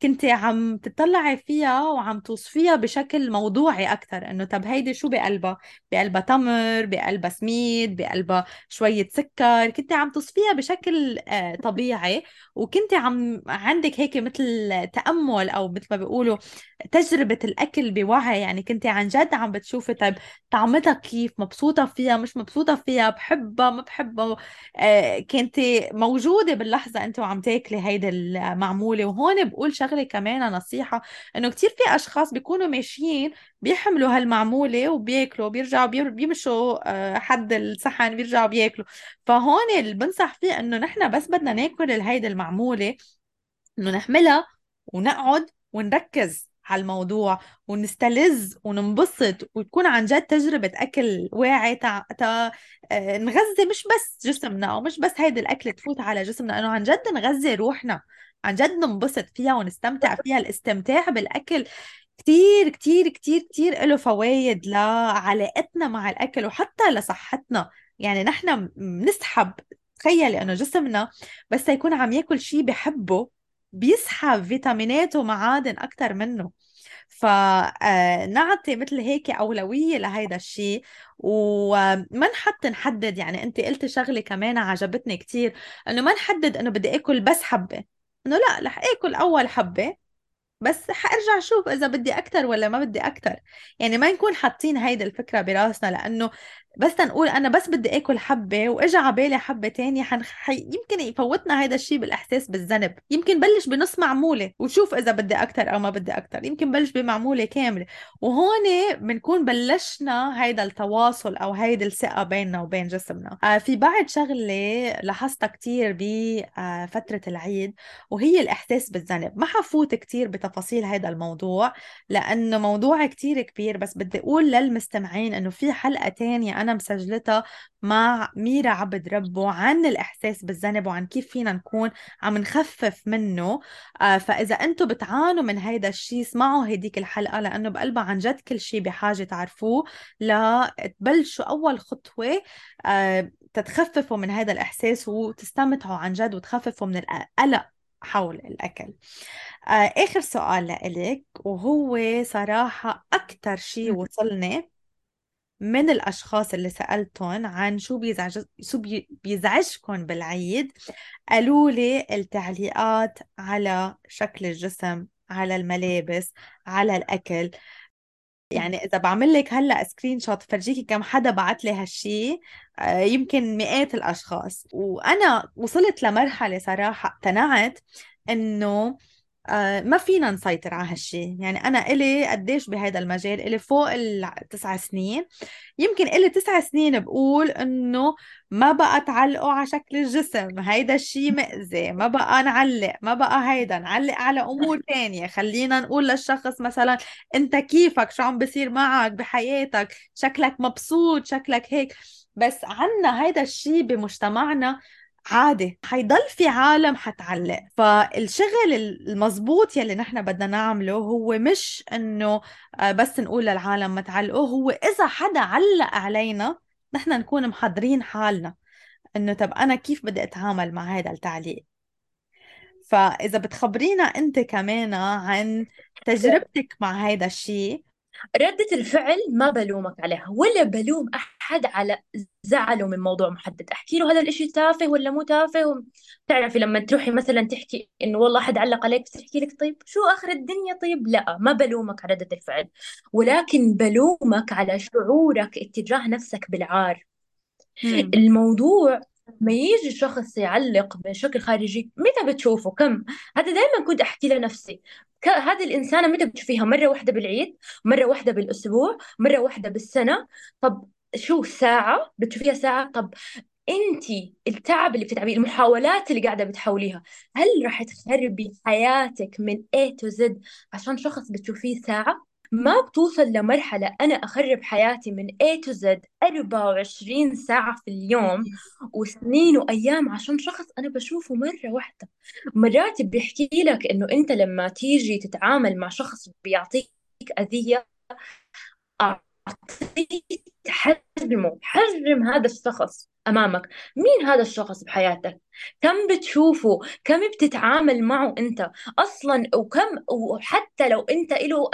كنت عم تطلعي فيها وعم توصفيها بشكل موضوعي أكتر. إنه طب هيدي شو بقلبها؟ بقلبها تمر، بقلبها سميد، بقلبها شوية سكر. كنت عم تصفيها بشكل طبيعي، وكنت عندك هيك مثل تأمل، أو مثل ما بيقولوا تجربة الأكل بوعي. يعني كنت عن جد عم بتشوفي طيب طعمتها كيف، مبسوطة فيها مش مبسوطة فيها، بحبها ما بحبها. كنت موجودة باللحظة أنت وعم تاكلي هيدا المعمولة. وهون بقول شغلة كمان نصيحة، إنه كتير في أشخاص بيكونوا ماشيين بيحملوا هالمعمولة وبياكلوا، بيرجعوا بيمشوا حد الصحن بيرجعوا بياكلوا. فهون اللي بنصح فيه انه نحن بس بدنا ناكل هيدي المعمولة، انه نحملها ونقعد ونركز على الموضوع ونستلذ وننبسط، وتكون عن جد تجربة أكل واعي نغذي مش بس جسمنا، أو مش بس هيدي الأكل تفوت على جسمنا، إنه عن جد نغذي روحنا، عن جد ننبسط فيها ونستمتع فيها. الاستمتاع بالأكل كتير كتير كتير كتير له فوائد لعلاقتنا مع الأكل وحتى لصحتنا. يعني نحن بنسحب، تخيلي انه جسمنا بس يكون عم ياكل شيء بحبه بيسحب فيتامينات ومعادن اكتر منه. فنعطي مثل هيك أولوية لهيدا الشيء، وما نحدد. يعني انت قلتي شغلة كمان عجبتني كتير، انه ما نحدد انه بدي اكل بس حبة، انه لا رح اكل اول حبة بس حارجع اشوف اذا بدي اكتر ولا ما بدي اكتر. يعني ما نكون حاطين هيدي الفكرة براسنا، لانه بس تنقول انا بس بدي اكل حبة واجا على بالي حبة تانية يمكن يفوتنا هيدا الشيء بالاحساس بالذنب. يمكن بلش بنص معمولة وشوف اذا بدي اكتر او ما بدي اكتر، يمكن بلش بمعمولة كاملة. وهون بنكون بلشنا هيدا التواصل او هيدي الثقة بيننا وبين جسمنا. في بعد شغلة لاحظتها كتير بفترة العيد، وهي الإحساس بالذنب. ما حفوت كتير بتفاصيل هذا الموضوع لأنه موضوع كتير كبير، بس بدي أقول للمستمعين أنه في حلقة تانية أنا مسجلتها مع ميرا عبد ربه عن الإحساس بالذنب وعن كيف فينا نكون عم نخفف منه. فإذا أنتم بتعانوا من هيدا الشيء اسمعوا هديك الحلقة، لأنه بقلبها عن جد كل شيء بحاجة تعرفوه لتبلشوا أول خطوة تتخففوا من هذا الإحساس وتستمتعوا عن جد وتخففوا من القلق حول الأكل. آخر سؤال لإلك، وهو صراحة أكتر شيء وصلني من الأشخاص اللي سألتهم عن شو بيزعجكم بالعيد، قالوا لي التعليقات على شكل الجسم، على الملابس، على الأكل. يعني إذا بعمل لك هلأ سكرين شوت فرجيكي كم حدا بعت لي هالشي، يمكن مئات الأشخاص. وأنا وصلت لمرحلة صراحة اقتنعت إنه ما فينا نسيطر على هالشي. يعني أنا إلي قديش بهذا المجال، إلي فوق ال9 سنين، يمكن إلي 9 سنين بقول إنه ما بقى تعلقوا على شكل الجسم، هيدا الشي مأذي، ما بقى نعلق، ما بقى هيدا نعلق على أمور تانية. خلينا نقول للشخص مثلا أنت كيفك، شو عم بصير معك بحياتك، شكلك مبسوط، شكلك هيك. بس عنا هيدا الشي بمجتمعنا عادي، حيضل في عالم حتعلق. فالشغل المزبوط يلي نحن بدنا نعمله هو مش انه بس نقول للعالم ما تعلقوا، هو اذا حدا علق علينا نحن نكون محضرين حالنا انه طب انا كيف بدي اتعامل مع هذا التعليق. فاذا بتخبرينا انت كمان عن تجربتك مع هذا الشيء. ردة الفعل ما بلومك عليها ولا بلوم أحد على زعله من موضوع محدد. أحكي له هذا الإشي تافه ولا مو تافه. تعرفي لما تروحي مثلا تحكي إنه والله أحد علق عليك، بس تحكي لك طيب شو آخر الدنيا؟ طيب لا، ما بلومك على ردة الفعل، ولكن بلومك على شعورك اتجاه نفسك بالعار. مم. الموضوع ما يجي شخص يعلق بشكل خارجي، متى بتشوفه؟ كم؟ هذا دائما كنت أحكي لنفسي، هذه الإنسانة متى بتشوفيها؟ مرة واحدة بالعيد، مرة واحدة بالأسبوع، مرة واحدة بالسنة. طب شو ساعة بتشوفيها؟ ساعة؟ طب انت التعب اللي بتتعبيه، المحاولات اللي قاعده بتحاوليها، هل راح تخربي حياتك من A to Z عشان شخص بتشوفيه ساعه؟ ما بتوصل لمرحله انا اخرب حياتي من A to Z 24 ساعه في اليوم وسنين وايام عشان شخص انا بشوفه مره واحده. مرات بيحكي لك انه انت لما تيجي تتعامل مع شخص بيعطيك اذيه، أعطيه حجم هذا الشخص أمامك. مين هذا الشخص بحياتك؟ كم بتشوفه؟ كم بتتعامل معه أنت أصلا؟ وحتى لو أنت له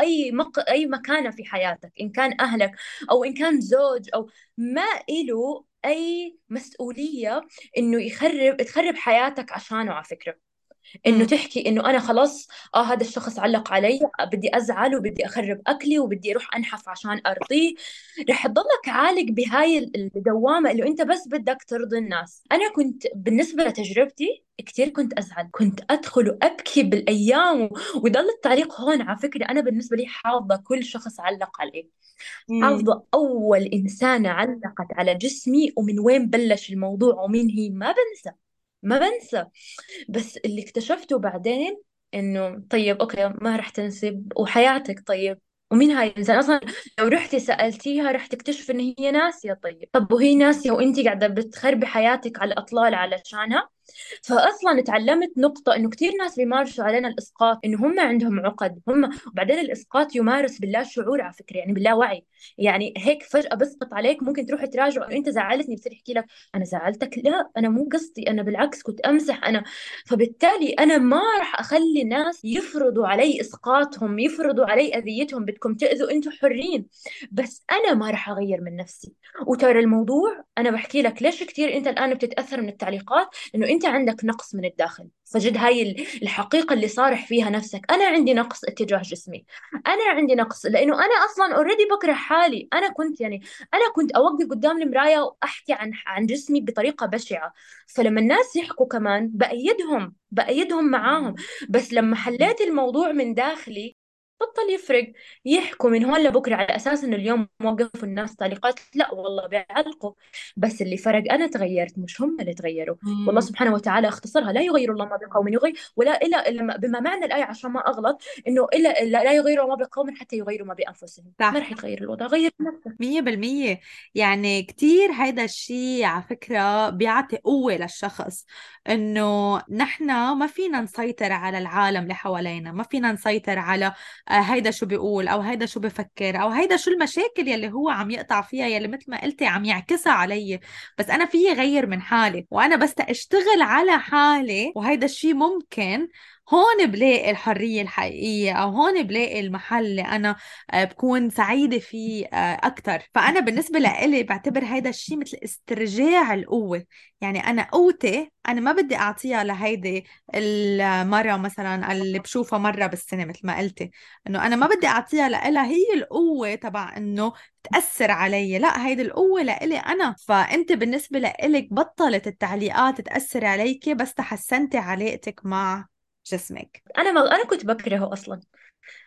أي مكانة في حياتك، إن كان أهلك أو إن كان زوج أو ما له أي مسؤولية إنه تخرب حياتك عشانه. على فكرة انه امم. تحكي انه انا خلاص هذا الشخص علق علي، بدي ازعل وبدي اخرب اكلي وبدي اروح انحف عشان ارضيه، رح تضلك عالق بهاي الدوامه اللي انت بس بدك ترضي الناس. انا كنت بالنسبه لتجربتي كثير كنت ازعل، كنت ادخل وابكي بالايام ويضل التعليق هون. على فكره انا بالنسبه لي حافظه كل شخص علق علي، امم. حافظه اول انسانه علقت على جسمي ومن وين بلش الموضوع ومين هي، ما بنسى، ما بنسى. بس اللي اكتشفته بعدين انه طيب اوكي ما رح تنسب وحياتك، طيب ومين هاي الانسان اصلا؟ لو رحتي سالتيها رح تكتشف ان هي ناسيه. طب وهي ناسيه وانت قاعده بتخربي حياتك على الاطلال علشانها؟ فاصلا تعلمت نقطه انه كثير ناس بيمارسوا علينا الاسقاط، انه هم عندهم عقد هم، وبعدين الاسقاط يمارس باللا شعور على فكره، يعني باللا وعي. يعني هيك فجاه بسقط عليك، ممكن تروح تراجع انه انت زعلتني، بصير يحكي لك انا زعلتك، لا انا مو قصدي، انا بالعكس كنت امزح انا. فبالتالي انا ما راح اخلي الناس يفرضوا علي اسقاطهم، يفرضوا علي اذيتهم، بدكم تاذوا انتم حرين، بس انا ما راح اغير من نفسي. وترى الموضوع انا بحكي لك ليش كثير انت الان بتتاثر من التعليقات، انه انت عندك نقص من الداخل. فجد هاي الحقيقه اللي صارح فيها نفسك، انا عندي نقص اتجاه جسمي، انا عندي نقص لانه انا اصلا اوريدي بكره حالي. انا كنت يعني انا كنت اوقف قدام المرايه واحكي عن جسمي بطريقه بشعه، فلما الناس يحكوا كمان بايدهم معاهم. بس لما حليت الموضوع من داخلي بطل يفرق، يحكوا من هون لبكره على اساس انه اليوم وقفوا الناس تعليقات، لا والله بيعلقوا، بس اللي فرق انا تغيرت مش هم اللي تغيروا. والله امم. سبحانه وتعالى اختصرها، لا يغير الله ما بقوم يغير ولا الا بما معنى الايه عشان ما اغلط، انه الا لا يغير ما بقوم حتى يغيروا ما بانفسهم. ما صح. رح يتغير الوضع، غير نفسك. 100%. يعني كتير هيدا الشيء على فكرة بيعطي قوة للشخص، إنه نحن ما فينا نسيطر على العالم اللي حوالينا، ما فينا نسيطر على هيدا شو بيقول أو هيدا شو بفكر أو هيدا شو المشاكل يلي هو عم يقطع فيها، يلي مثل ما قلتي عم يعكسها علي. بس أنا فيي غير من حالي، وأنا بس أشتغل على حالي، وهيدا الشيء ممكن. هون بلاقي الحرية الحقيقية، أو هون بلاقي المحل اللي أنا بكون سعيدة فيه أكتر. فأنا بالنسبة لإلي بعتبر هيدا الشيء مثل استرجاع القوة. يعني أنا قوتي أنا ما بدي أعطيها لهيدي المرة مثلا اللي بشوفها مرة بالسنة، مثل ما قلتي، إنه أنا ما بدي أعطيها لإلها هي القوة تبع إنه تأثر علي. لا، هيدي القوة لإلي أنا. فأنت بالنسبة لإلك بطلت التعليقات تأثر عليكي بس تحسنتي علاقتك مع جسمك. انا كنت بكرهه اصلا.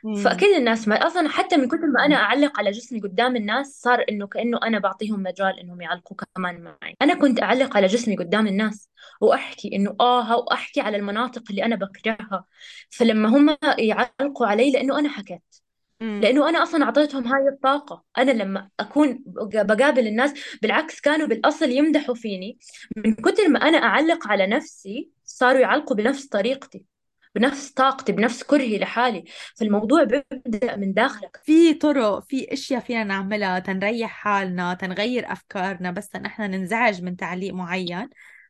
امم. فاكيد الناس ما اصلا حتى من كثر ما انا اعلق على جسمي قدام الناس صار انه كانه انا بعطيهم مجال انهم يعلقوا كمان معي. انا كنت اعلق على جسمي قدام الناس واحكي انه واحكي على المناطق اللي انا بكرهها، فلما هم يعلقوا علي لانه انا حكيت، امم. لانه انا اصلا اعطيتهم هاي الطاقه. انا لما اكون بقابل الناس بالعكس كانوا بالاصل يمدحوا فيني، من كثر ما انا اعلق على نفسي صاروا يعلقوا بنفس طريقتي، بنفس طاقتي، بنفس كرهي لحالي. فالموضوع بيبدأ من داخلك. في طرق، في اشياء فينا نعملها تنريح حالنا، تنغير افكارنا، بس نحن ننزعج من تعليق معين،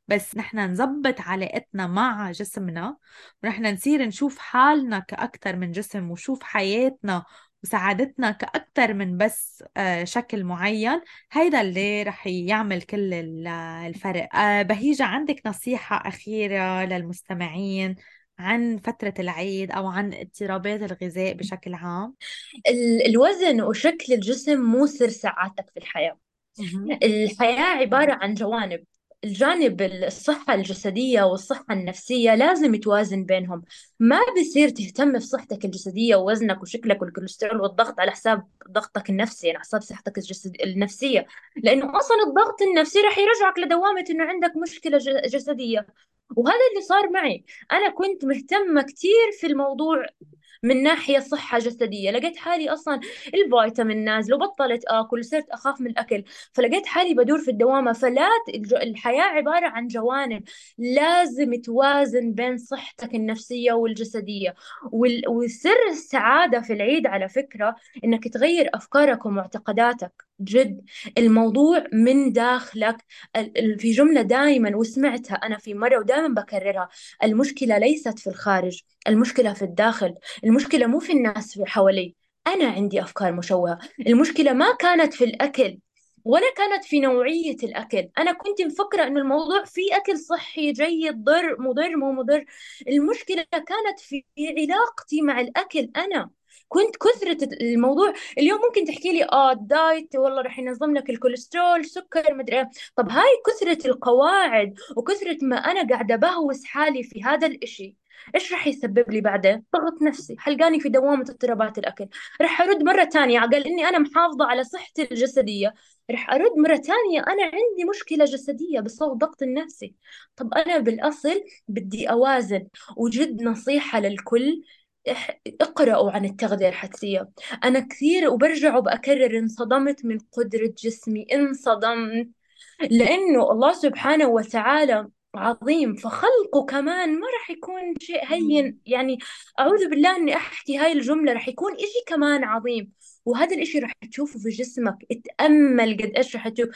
بس نحن نظبط علاقتنا مع جسمنا، ونحن نصير نشوف حالنا كأكتر من جسم، وشوف حياتنا وسعادتنا كأكتر من بس شكل معين. هيدا اللي رح يعمل كل الفرق. بهيجة، عندك نصيحة أخيرة للمستمعين عن فترة العيد أو عن اضطرابات الغذاء بشكل عام؟ الوزن وشكل الجسم مو سر سعادتك في الحياة. مهم. الحياة عبارة عن جوانب، الجانب الصحة الجسدية والصحة النفسية لازم يتوازن بينهم. ما بصير تهتم بصحتك الجسدية ووزنك وشكلك والكوليسترول والضغط على حساب ضغطك النفسي، يعني على حساب صحتك النفسية. لأنه أصلا الضغط النفسي رح يرجعك لدوامة إنه عندك مشكلة جسدية. وهذا اللي صار معي. أنا كنت مهتمة كثير في الموضوع من ناحية صحة جسدية، لقيت حالي أصلا الفيتامين نازل وبطلت آكل وصرت أخاف من الأكل، فلقيت حالي بدور في الدوامة. فلا الحياة عبارة عن جوانب، لازم توازن بين صحتك النفسية والجسدية. وسر السعادة في العيد على فكرة إنك تغير أفكارك ومعتقداتك. جد الموضوع من داخلك. في جملة دائما وسمعتها أنا في مرة ودائما بكررها: المشكلة ليست في الخارج، المشكلة في الداخل. المشكلة مو في الناس في حوالي، أنا عندي أفكار مشوهة. المشكلة ما كانت في الأكل ولا كانت في نوعية الأكل. أنا كنت مفكرة إنه الموضوع في أكل صحي جيد، مضر مو مضر. المشكلة كانت في علاقتي مع الأكل. أنا كنت كثرة الموضوع. اليوم ممكن تحكي لي الدايت والله رح ينظم لك الكوليسترول سكر مدري إيه. طب هاي كثرة القواعد وكثرة ما أنا قاعدة بهوس حالي في هذا الإشي، ايش رح يسبب لي بعدين؟ ضغط نفسي حلقاني في دوامة اضطرابات الأكل. رح أرد مرة تانية على إني أنا محافظة على صحتي الجسدية، رح أرد مرة تانية أنا عندي مشكلة جسدية بسبب ضغط النفسي. طب أنا بالأصل بدي أوازن. وجد نصيحة للكل: اقرأوا عن التغذية الحدسية. أنا كثير وبرجع وبأكرر انصدمت من قدرة جسمي، انصدمت. لأنه الله سبحانه وتعالى عظيم، فخلقه كمان ما رح يكون شيء مم. هين يعني. أعوذ بالله إني أحكي هاي الجملة، رح يكون إشي كمان عظيم. وهذا الإشي رح تشوفه في جسمك. اتأمل قد إيش رح تشوف.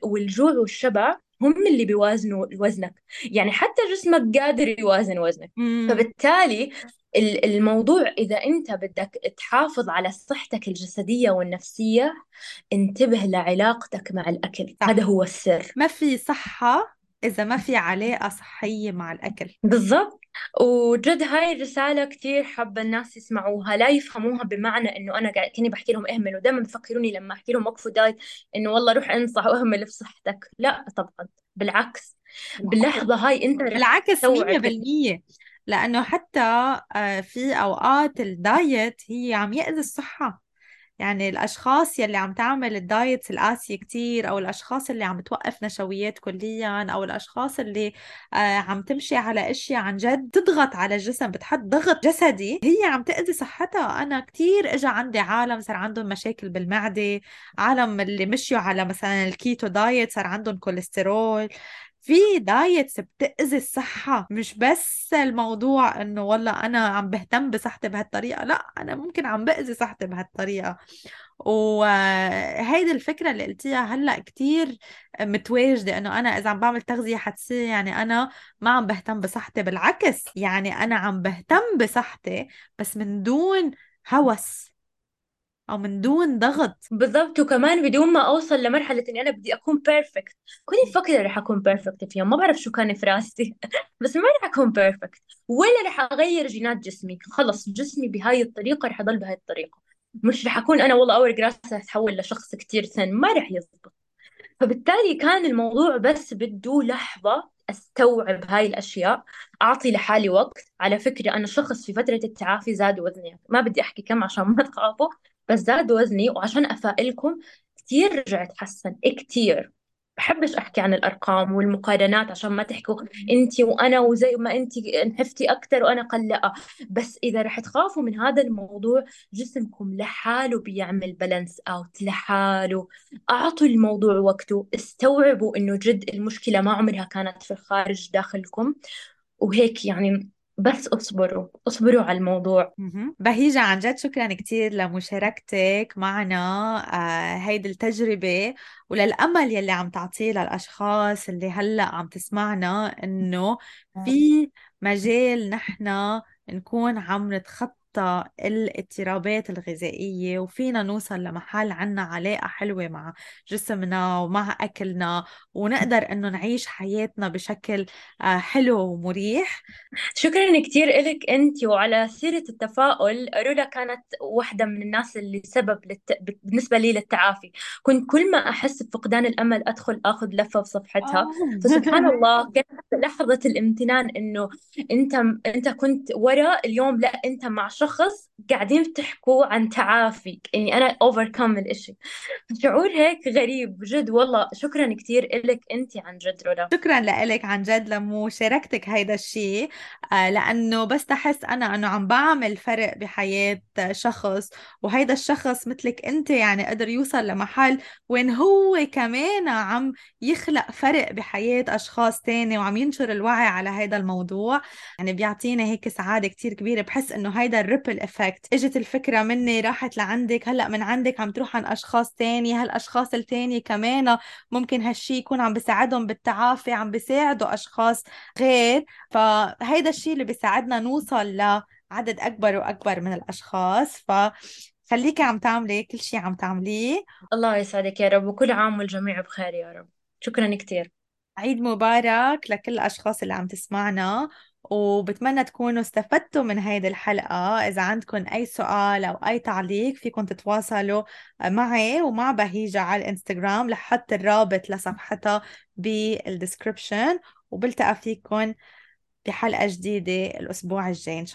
والجوع والشبع هم اللي بيوازنوا وزنك. يعني حتى جسمك قادر يوازن وزنك. مم. فبالتالي الموضوع إذا أنت بدك تحافظ على صحتك الجسدية والنفسية، انتبه لعلاقتك مع الأكل. هذا صح. هو السر. ما في صحة إذا ما في علاقة صحية مع الأكل. بالضبط. وجد هاي الرسالة كثير حابة الناس يسمعوها، لا يفهموها بمعنى إنه أنا قاعد كني بحكي لهم اهملوا. دائما بفكروني لما أحكي لهم وقفوا دايت إنه والله روح انصح واهمل في صحتك. لا طبعا، بالعكس. بالعكس. باللحظة هاي أنت رح بالعكس تستوعب 100%. لأنه حتى في أوقات الدايت هي عم يأذي الصحة. يعني الأشخاص يلي عم تعمل الدايت القاسية كتير، أو الأشخاص اللي عم توقف نشويات كليا، أو الأشخاص اللي عم تمشي على أشياء عن جد تضغط على الجسم، بتحط ضغط جسدي، هي عم تأذي صحتها. أنا كتير إجا عندي عالم صار عندهم مشاكل بالمعدة، عالم اللي مشيوا على مثلا الكيتو دايت صار عندهم كوليسترول. في دايتس بتأذي الصحة، مش بس الموضوع انه والله انا عم بهتم بصحتي بهالطريقة، لا، انا ممكن عم بأذي صحتي بهالطريقة. وهيدي الفكرة اللي قلتيها هلأ كتير متواجدة، انه انا اذا عم بعمل تغذية حدسية يعني انا ما عم بهتم بصحتي. بالعكس، يعني انا عم بهتم بصحتي بس من دون هوس او من دون ضغط. بالضبط. وكمان بدون ما اوصل لمرحله اني انا بدي اكون بيرفكت. كنت مفكره رح اكون بيرفكت في يوم، ما بعرف شو كان في راسي بس ما رح اكون بيرفكت ولا رح اغير جينات جسمي. خلص جسمي بهاي الطريقه رح يضل بهاي الطريقه. مش رح اكون انا والله اول راسي رح اتحول لشخص كتير سن، ما رح يزبط. فبالتالي كان الموضوع بس بده لحظة استوعب هاي الاشياء، اعطي لحالي وقت. على فكرة انا شخص في فترة التعافي زاد وزني، ما بدي احكي كم عشان ما تخافوا، بس زاد وزني. وعشان افائلكم كثير رجعت حسن كثير. بحبش احكي عن الارقام والمقارنات عشان ما تحكوا انت وانا وزي ما انت نحفتي اكثر وانا قلقه. بس اذا رح تخافوا من هذا الموضوع، جسمكم لحاله بيعمل بالانس اوت لحاله. أعطوا الموضوع وقته، استوعبوا إنه جد المشكلة ما عمرها كانت في الخارج، داخلكم. وهيك يعني. بس اصبروا اصبروا على الموضوع. بهيجة، عن جد شكرا كتير لمشاركتك معنا هيدي التجربة، وللأمل يلي عم تعطيه للأشخاص اللي هلأ عم تسمعنا، إنه في مجال نحن نكون عم نتخطى نتخطى الاضطرابات الغذائية، وفينا نوصل لمحل عنا علاقة حلوة مع جسمنا ومع أكلنا، ونقدر إنه نعيش حياتنا بشكل حلو ومريح. شكرا كثير إلك أنت. وعلى سيرة التفاؤل، رولا كانت واحدة من الناس اللي سبب بالنسبة لي للتعافي. كنت كل ما أحس بفقدان الأمل أدخل أخذ لفة في صفحتها، فسبحان الله كانت لحظة الامتنان إنه أنت أنت كنت ورا اليوم، لا أنت مع شخص قاعدين تحكوا عن تعافي، يعني أنا overcome الإشي. شعور هيك غريب جد والله. شكرا كثير إلك أنت عن جد رولا. شكرا لك عن جد لمو شاركتك هيدا الشيء، لأنه بس تحس أنا أنه عم بعمل فرق بحياة شخص، وهيدا الشخص مثلك أنت يعني قدر يوصل لمحل وين هو كمان عم يخلق فرق بحياة أشخاص تاني وعم ينشر الوعي على هيدا الموضوع. يعني بيعطينا هيك سعادة كتير كبيرة. بحس إنه هيدا الريبل إفكت، إجت الفكرة مني راحت لعندك، هلأ من عندك عم تروح عن أشخاص تاني، هالأشخاص التاني كمان ممكن هالشي يكون عم بيساعدهم بالتعافي، عم بيساعدوا أشخاص غير. فهيدا الشي اللي بيساعدنا نوصل لعدد أكبر وأكبر من الأشخاص. فخليكي عم تعملي كل شي عم تعمليه. الله يسعدك يا رب، وكل عام والجميع بخير يا رب. شكرا كثير. عيد مبارك لكل الأشخاص اللي عم تسمعنا، وبتمنى تكونوا استفدتوا من هيدي الحلقة. إذا عندكم أي سؤال أو أي تعليق فيكم تتواصلوا معي ومع بهيجة على الإنستغرام، لحط الرابط لصفحتها بالدسكريبشن. وبلتقى فيكم بحلقة جديدة الأسبوع الجاي إن شاء الله.